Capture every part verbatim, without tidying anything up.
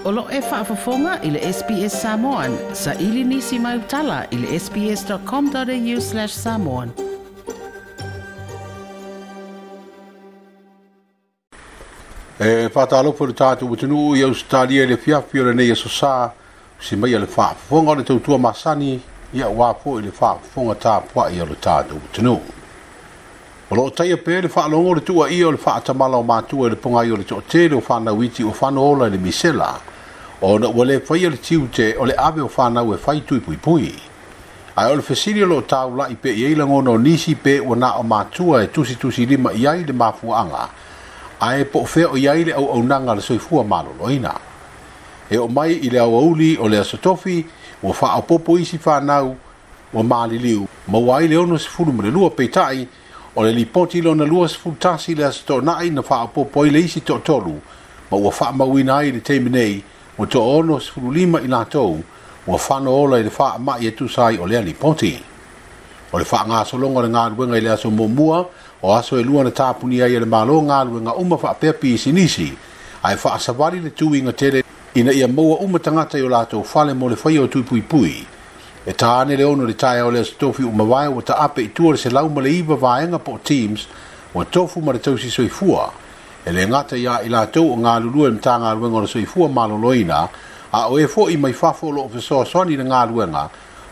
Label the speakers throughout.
Speaker 1: O lo e faafofoga i le S B S Samoan, sa ili nisi mai utala i le sbs.com.au slash samoan.
Speaker 2: E whātālopo le tātou utunuu i Australia le fiafi o le nei aso sā, si mai le faafofoga o le tautua masani, ia wā i le faafofoga tāpuai o le tātou utunuu. O loo taia pē le whaalongo le tua ia o le whaatamala o mātua i le pongai o le to'atele o whānauiti o whanola i le misela, o na ua le whaia le tiute o le ave o whānau e whai tui pui pui. Ai o le fesili o loo tāulai pe i eila ngono nisi pe ua nā o mātua e tusi tusi lima i ai le mafuaanga, ae po fea o iai le au aunanga le soifua maloloina. E o mai i le auauli o le asotofi, ua whaapopo isi whanau, ua maliliu, maua ai le ono sefulu ma le lua peitai, o le lipoti lona lua sefulu tasi le asotonai na whaapopo ai le isi to'atolu, ma ua whaamauina ai le teimi nei, ua to'ono sefulu lima i latou, ua whanoola i le whaamai e tusa ai o lea lipoti. O le whaangasologa o le galuega i le aso muamua, o aso e lua na tāpuni ai e le malo galuega uma faapea pisinisi, ae faasavali le tuiga tele ina ia maua uma tagata i o latou fale mo le faia o tuipuipui. E tāne le ono le taeao o le aso tofi umavae ua taape i tua le selau ma le iva vaega po o teams ua tofu ma le tausi soifua. E le gata ia i latou o galulue i le Matagaluega o le Soifua Maloloina, a o e fo'i mai fafo o loo fesoasoani le galuega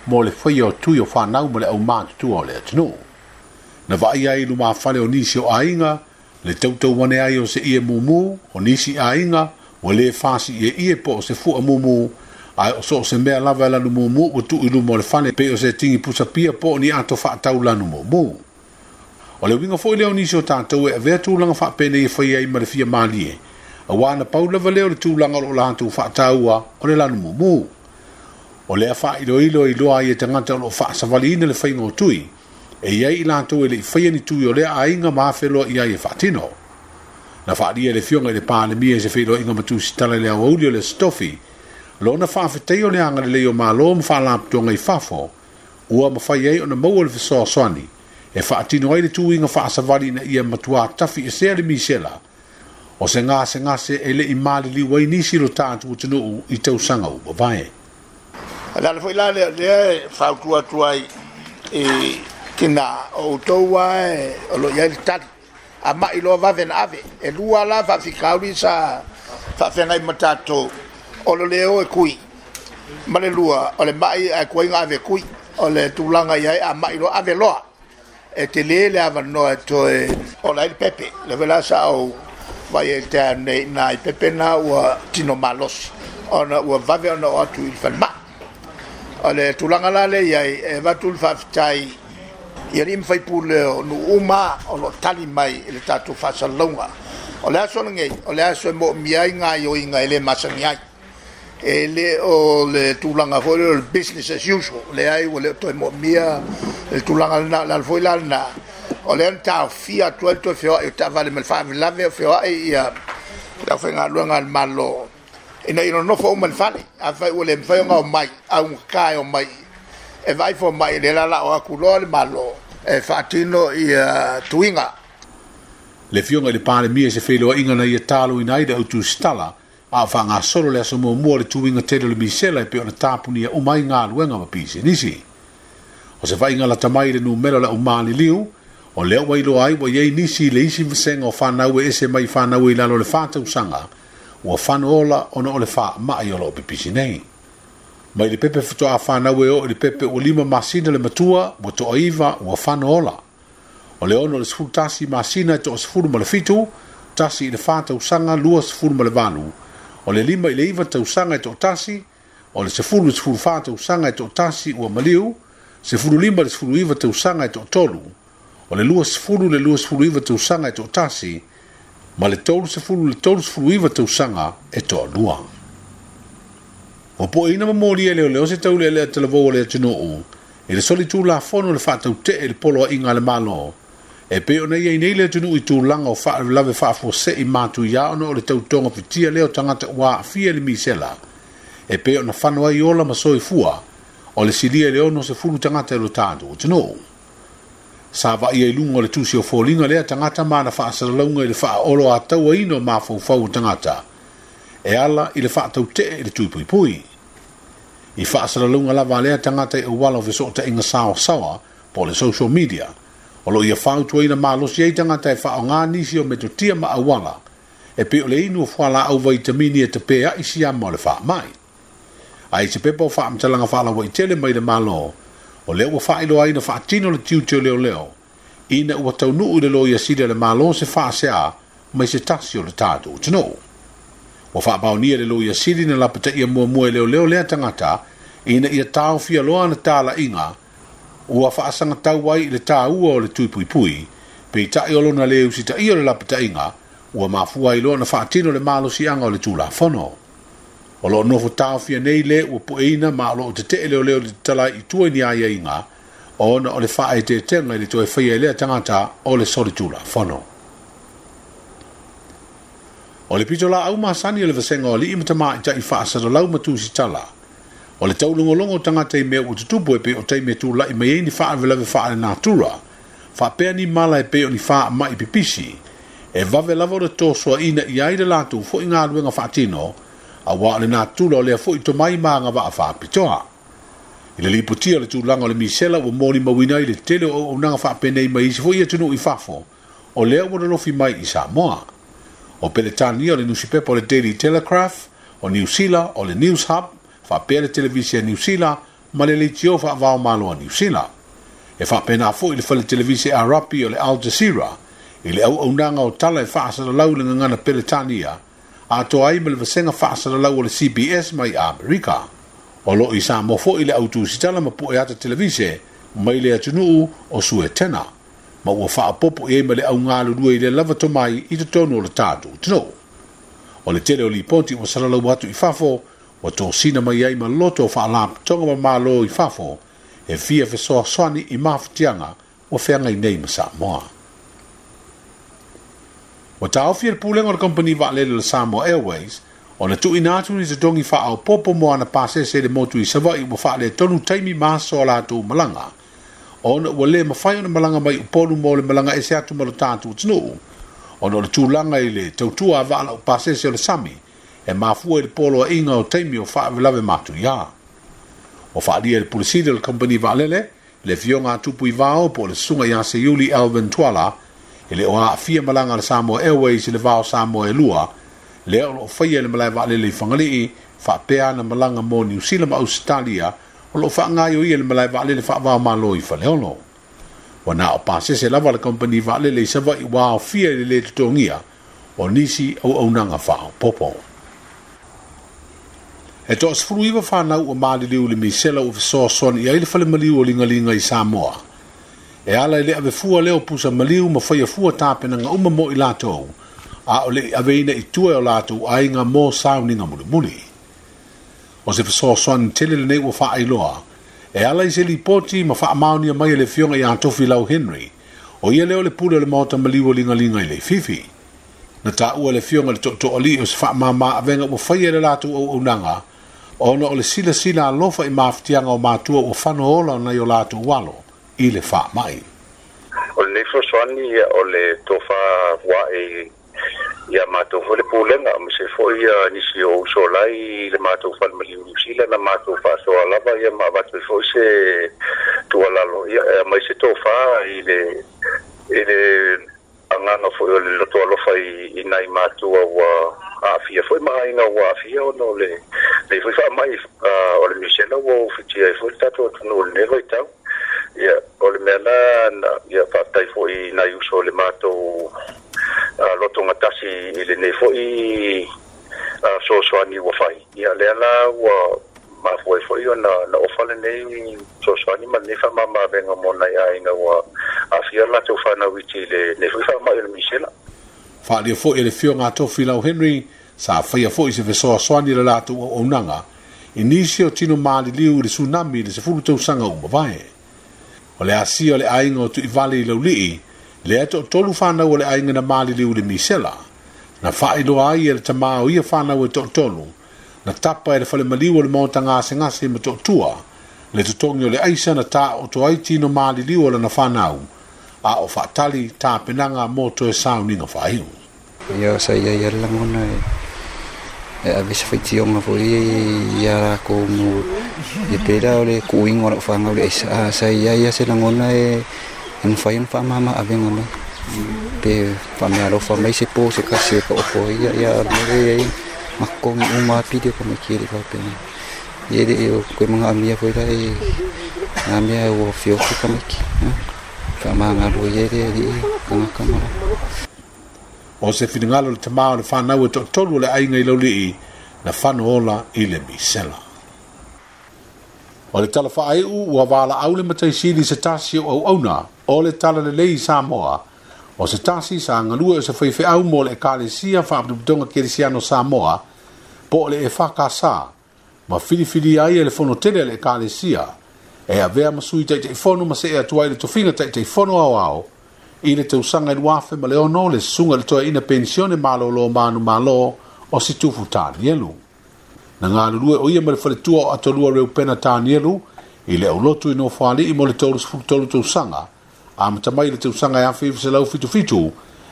Speaker 2: mo le faia o tui o whanau ma le aumātutua o le atunuu. Na vaai ai lumafale o nisi o aiga, le tautauane ai o se ie mumu, o nisi aiga, ua le fasi ie ie po o se fua mumu, ai o so o se mea lava e lanu mumu ua tuu i luma o le fale pe o se tingi pusapia po o ni ato faatau lanu mumu. O le uiga foi lea o nisi o tātou e avea tulaga faapenei e fai ai ma le fia malie, auā na pau lava lea o le tulaga o loo latou faataua o le lanu mumu. O lea faailoilo i loa ai e tagata o loo faasavaliina le faiga o tui, e iai i latou e le i faia ni tui o lea aiga ma afeloa i ai e faatino. Na faalia le fioga i le Palemia i se feiloaiga ma tusitala i le aoauli o le asotofi, lona faafetai o le agalelei o Malo ma faalapotoga i fafo, ua mafai ai ona maua le fesoasoani, e faatino ai le tuiga faasavali ina ia matuā tafi esea le misela, o se gasegase e le i maliliu ai nisi lo tatou atunuu i tausaga ua mavae.
Speaker 3: O le ala foi la lea lea e fautua atu ai i tina o outou ae o loo iai le tali a ma'i loa vave na ave e lua la faafikauli sa faafeagai ma tatou o le lē o e kui ma le lua o le ma'i ae kuaiga ave kui o le tulaga iai a ma'i loa ave loa e telē le avanoa e toe ola ai le pepe le foi la sa ou vai e te nei na i pepe na ua tino malosi ona ua vave ona o atu i le falemai. O le tulaga la le iai e avatu le faafetai i alii ma faipule o nuu uma o loo tali mai i le tatou faasalalauga. O le aso lenei o le aso e moomia ai gaioiga e lē masani ai e lē o le tulaga foi lea o le business as usual leai ua le o toe moomia le tulaga lena. O le ala foi la lena o lea na taofia atu ai le toe feoai o taavale ma le faavelave o feoai ia le aufaigaluega a le Malo ina ia nonofo uma i le fale. Afai ua le mafai ona omai augatā e omai e vaai fomai le la o atu loa le Malo e faatino ia tuiga.
Speaker 2: Le fioga i le Palemia i se feiloaiga na ia taloina ai le autusitala a o faagasolo le aso muamua o le tuiga tele o le misela e pei ona tapunia uma ai galuega ma pisinisi. O se vaaiga lata mai i le numera o le aumaliliu, o lea ua iloa ai ua iai nisi i le isi vasega o whanau e ese mai whanau i lalo o le whātausaga, ua whanoola ona o le whaamai o loo pipisi nei. Mai le pepe fatoa whanau e o i le pepe ua lima masina le matua, ua to'aiva ua whanoola. O le ono le sefulu tasi masina e to'a sefulu ma le fitu, tasi i le whātausaga lua sefulu ma le valu, o le lima i le iva tausaga e to'atasi, o le sefulu i le sefulu whā tausaga e to'atasi ua maliu, sefulu lima i le sefulu iva tausaga e to'atolu, o le lua sefulu le lua sefulu iva tausaga e to'atasi, ma le tolu sefulu le tolu sefulu iva tausaga e to'alua. Ua po'eina ma molia e leoleo se taulealea talavou o le atunuu, i le soli tulafono le faataute'e i le poloaiga a le Malo, e pei ona iai nei le atunuu i tulaga o faalavelave faafuase'i matuiā ona o le tautoga fitia lea o tagata ua aafia i le misela, e pei ona fano ai ola ma soifua, o le silia i le ono sefulu tagata i lo tatou atunuu. Sa vaia i luga o le tusi o foliga lea tagata ma na faasalalauga i le faaolo atauaina o mafaufau o tagata. E ala i le faatautee i le tuipuipui. I faasalalauga lava a lea tagata i auala o fesootaiga saoasaoa po o le social media, o loo ia fautuaina malosi ai tagata e faaaogā nisi o metotia ma auala e pei o le inu o fualaau vaitamini e tapea'i siama o le faamai. Ae i se pepa o faamatalaga faalauaitele mai le Malo, o lea ua faailoa ai na faatino le tiute o leoleo ina ua taunuu i le Loia Sili a le Malo se faasea mai se tasi o le tatou atunuu. Ua faamaonia le Loia Sili na lapataia muamua e leoleo lea tagata ina ia taofia loa ana talaiga ua faasagatau ai i le tāua o le tuipuipui, peitai o lona lē usitaia o le lapataiga ua mafua ai loa na faatino le malosiaga o le Tulafono. O loo nofo taofia nei lē ua pueina ma o loo tetee leoleo i le tatala ai i tua i ni aiaiga ona o le faaeteetega i le toe faia e lea tagata o le solitulafono. O le pitolaau masani o le vasega o alii ma tamaitai faasalalau ma tusitala, o le taulogologo o tagata i mea ua tutupu e pei o taimi e tula'i mai ai ni faalavelave faalenatura, faapea ni mala e pei o ni faama'i pipisi, e vave lava ona tosoaina i ai le latou foi galuega faatino, auā o le natura o lea foi tomai ma agavaa faapitoa. I le lipotia o le tulaga o le misela ua molimauina ai le tele o auaunaga faapenei mai isi foi atunuu i fafo, o lea ua lolofi mai i Samoa. O Peretania o le nusipepa o le Daily Telegraph, o Niu Sila o le News Hub, faapea le televise a Niu Sila ma le leitio faavaomalo a Niu Sila. E faapena foi le fale televise Arapi o le Al Jazeera i le auaunaga o tala e faasalalau i le gagana Peretania, atoa ai ma le vasega faasalalau o le C B S mai Amerika. O loo i Samoa foi le au tusitala ma pueata televise mai le atunuu o Suetena, ma ua faaopoopo i ai ma le au galulue i le lava tomai i totonu o le tatou atunuu. O le tele o lipoti ua salalau atu i fafo, ua tosina mai ai ma loto o faalapotopotoga ma malo i fafo e fia fesoasoani i mafatiaga ua feagai nei ma Samoa. Ua taofi e le pulega o le kamupani vaalele o le Samoa Airways ona tuuina atu ni totogi faaopoopo mo ana pasese i le motu i Savaii ua faaletonu taimi ma aso a latou malaga, ona ua lē mafai ona malaga mai Upolu mo le malaga ese atu ma lo tatou atunuu, ona o le tulaga i le tautua a vaa laupasese o le sami e mafua i le poloaiga o taimi o faalavelave matuia. Ua faaalia e le Pule Sili o le kamupani vaalele le afioga a Tupu i Vao po o le susuga ia Seiuli Alvin Tuala e le o aafia malaga a le Samoa Airways i le vao Samoa e lua, lea o loo faia i le malae vaalele i Fagalii, faapea ana malaga mo Niu Sila ma Ausetalia o loo faagaoioia i le malae vaalele faavaomalo i Faleolo. Ua na o pasese lava le kamupani vaalele i Savaii ua aofia i le lē totogia o nisi auaunaga faaopoopo. E toasefulu iva fanau ua maliliu i le misela ua fesoasoani i ai le fale maliu o Ligaliga i Samoa. E ala i le avefua lea o pusa maliu ma faia fua tapenaga uma mo i latou, a o le aveina i tua e o latou aiga mo sauniga mulimuli. O se fesoasoani tele lenei ua faailoa, e ala i se lipoti ma faamaonia mai e le afioga ia Tofilau Henry, o ia lea o le pule o le maota maliu o Ligaliga i Leififi. Na taua le afioga i le tootooalii o se faamama avega ua faia e le latou auaunaga, ona o le silasila alofa i mafatiaga o matua ua fano ola o nai o latou alo i le faamai.
Speaker 4: O lenei fesoasoani o le tofa uae ia matou foi le pulega ma se foi ia nisi o uso lai le matou fale maliu Niu Sila na matou faasoa lava ia ma avatu ai foi se tuualalo ia e aumai se tofa i le i le agaga foi o le loto alofa i i nai matua ua aafia foi ma aiga ua aafia ona o le lenei foi faamai o le misela ua ufitia ai foi le tatou atunuu i lenei vaitau. Ia o le mea la na ia faafetai foi i nai uso o le matou lotogatasi i lenei foi fesoasoani ua fai. Ia lea la ua mafua ai foi ona na ofa lenei fesoasoani ma lenei faamamaavega mo nai aiga ua aafia le latou fanau iti i lenei foi faamai o le misela.
Speaker 2: Faaalia foi e le afioga a Tofilau Henry sa faia foi se fesoasoani i le latou auaunaga i nisi o tino maliliu i le tsunami i le sefulu tausaga ua mavae. O le asia o le aiga o Tuivale i Laulii, lea toatolu fanau o le aiga na maliliu i le misela. Na faailoa ai e le tamā o ia fanau e toatolu, na tapa e le fale maliu o le maota gasegase ma Tootua, le totogi o le aisa na taoto ai tino maliliu o lana fanau, a o faatali tapenaga mo toe sauniga faaiu.
Speaker 5: Ia sa iai ai le lagona e E ave se faitioga foi ia lakou mo e pei la o le kuuiga o la'u fagau le aisa a sa iai a se lagona e e mafai ona faamama avega mai pe faamealofa mai se po se kasi e paopo ia ia le ia makogi uma pili o kamaiki e le faapena ia le o koe magaamia foi la e nā mea ua fiofi kamaiki faamagalo ia le alii tagata ma
Speaker 2: O se finagalo le tamā o le fanau e to'atolu o le aiga i laulii na fano ola i le misela. O le tala faaiu ua valaau le mataisili se tasi o auauna o le tala lelei i Samoa. O se tasi sa galue o se faifeau mo le ekalesia Faapotopotoga Kerisiano Samoa po o le E F K S ma filifili ai e le fono tele a le ekalesia e avea ma sui taitaifono ma se'e atu ai le tofiga taitaifono aoao i le tausaga i luafe ma le ono le susuga i le toeaina penisione malōlō manumalo o Situfu Tanielu. Na galulue o ia ma le faletua o Atolua Reupena Tanielu i le aulotu i Nofoalii mo le tolu tolu tausaga amata mai le tausaga e afe iva selau fitufitu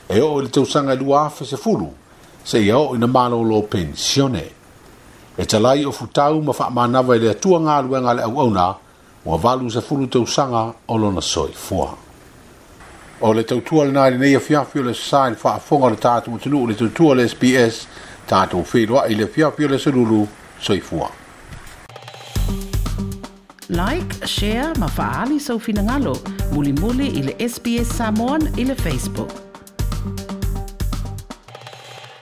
Speaker 2: e oo i le tausaga e lua afe sefulu seia oo ina malōlō penisione. E talai o futau ma faamanava i le Atua galuega a le auauna ua valu sefulu tausaga o lona soifua. O le tautua lenā i lenei afiafi o le sa i le faafofoga o le tatou atunuu le tautua le S B S tatou feiloai i le afiafi o le aso soifua.
Speaker 1: Like, share ma faali sau finagalo mulimuli i le S B S Samoan i le Facebook.